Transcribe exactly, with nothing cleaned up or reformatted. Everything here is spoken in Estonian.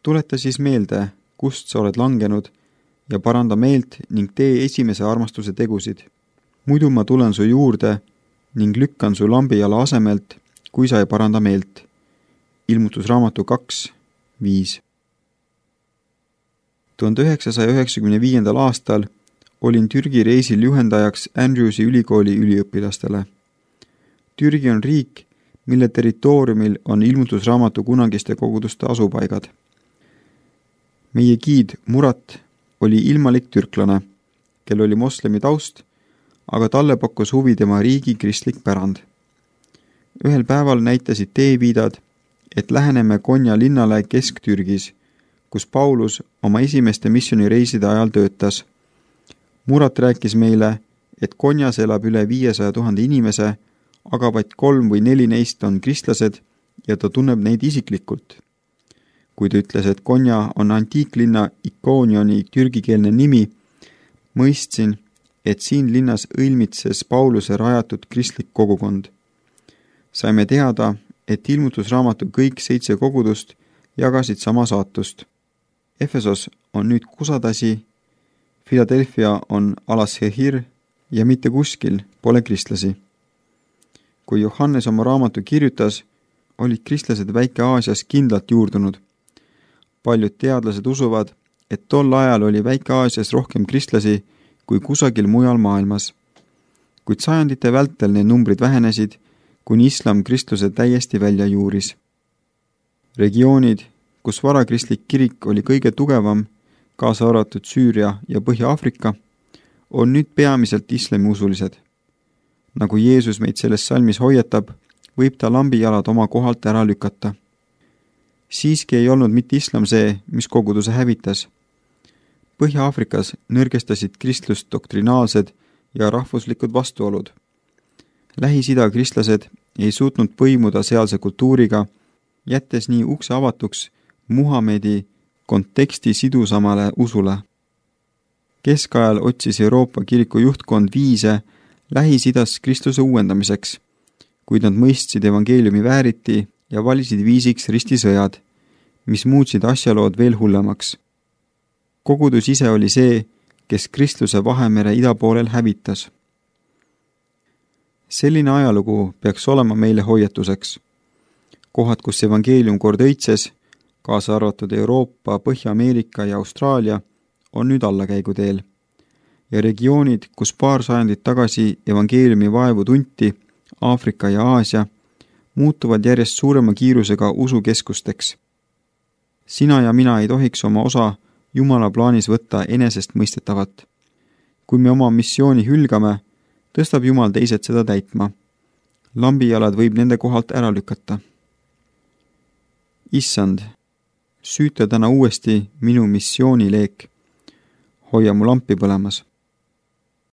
Tuleta siis meelde, kust sa oled langenud ja paranda meelt ning tee esimese armastuse tegusid. Muidu ma tulen su juurde ning lükkan su lambijala asemelt, kui sa ei paranda meelt. Ilmutusraamatu kaks viis. tuhande üheksasaja üheksakümne viiendal aastal olin Türgi reisil juhendajaks Andrewsi ülikooli üliõpilastele. Türgi on riik, mille territooriumil on ilmutusraamatu kunagiste koguduste asupaigad. Meie giid Murat oli ilmalik türklane, kel oli moslemi taust, aga talle pakkus huvi tema riigi kristlik pärand. Ühel päeval näitasid teeviidad, et läheneme Konya linnale Kesk-Türgis, kus Paulus oma esimeste missioonireiside ajal töötas. Murat rääkis meile, et Konjas elab üle viiesaja tuhande inimese, aga vaid kolm või neli neist on kristlased ja ta tunneb neid isiklikult. Kui ta ütles, et Konya on antiiklinna Ikoonioni türgikeelne nimi, mõistsin, et siin linnas õilmitses Pauluse rajatud kristlik kogukond. Saime teada, et ilmutusraamatu kõik seitse kogudust jagasid sama saatust. Efesos on nüüd kusadasi, Philadelphia on Alashehir ja mitte kuskil pole kristlasi. Kui Johannes oma raamatu kirjutas, olid kristlased Väike-Aasias kindlalt juurdunud. Paljud teadlased usuvad, et tol ajal oli Väike-Aasias rohkem kristlasi kui kusagil mujal maailmas. Kuid sajandite vältel need numbrid vähenesid, kuni islam kristluse täiesti välja juuris. Regioonid, kus varakristlik kirik oli kõige tugevam, kaasa arvatud Süüria ja Põhja-Aafrika, on nüüd peamiselt islamiusulised. Nagu Jeesus meid selles salmis hoiatab, võib ta lambijalad oma kohalt ära lükata. Siiski ei olnud mitte islam see, mis koguduse hävitas. Põhja-Aafrikas nõrgestasid kristlust doktrinaalsed ja rahvuslikud vastuolud. Lähis-Ida kristlased ei suutnud põimuda sealse kultuuriga, jättes nii ukse avatuks Muhamedi konteksti sidusamale usule. Keskajal otsis Euroopa kiriku juhtkond viise Lähis-Idas Kristuse uuendamiseks, kuid nad mõistsid evangeeliumi vääriti ja valisid viisiks ristisõjad, mis muutsid asjalood veel hullemaks. Kogudus ise oli see, kes Kristuse Vahemere idapoolel hävitas. Selline ajalugu peaks olema meile hoiatuseks. Kohad, kus evangeelium kord õitses, kaasa arvatud Euroopa, Põhja-Ameerika ja Austraalia, on nüüd allakäiguteel. Ja regioonid, kus paar sajandit tagasi evangeeliumi vaevu tunti, Aafrika ja Aasia, muutuvad järjest suurema kiirusega usukeskusteks. Sina ja mina ei tohiks oma osa Jumala plaanis võtta enesest mõistetavat. Kui me oma missiooni hülgame, tõstab Jumal teised seda täitma. Lambijalad võib nende kohalt ära lükata. Issand, süüta täna uuesti minu missioonileek. Hoia mu lampi põlemas.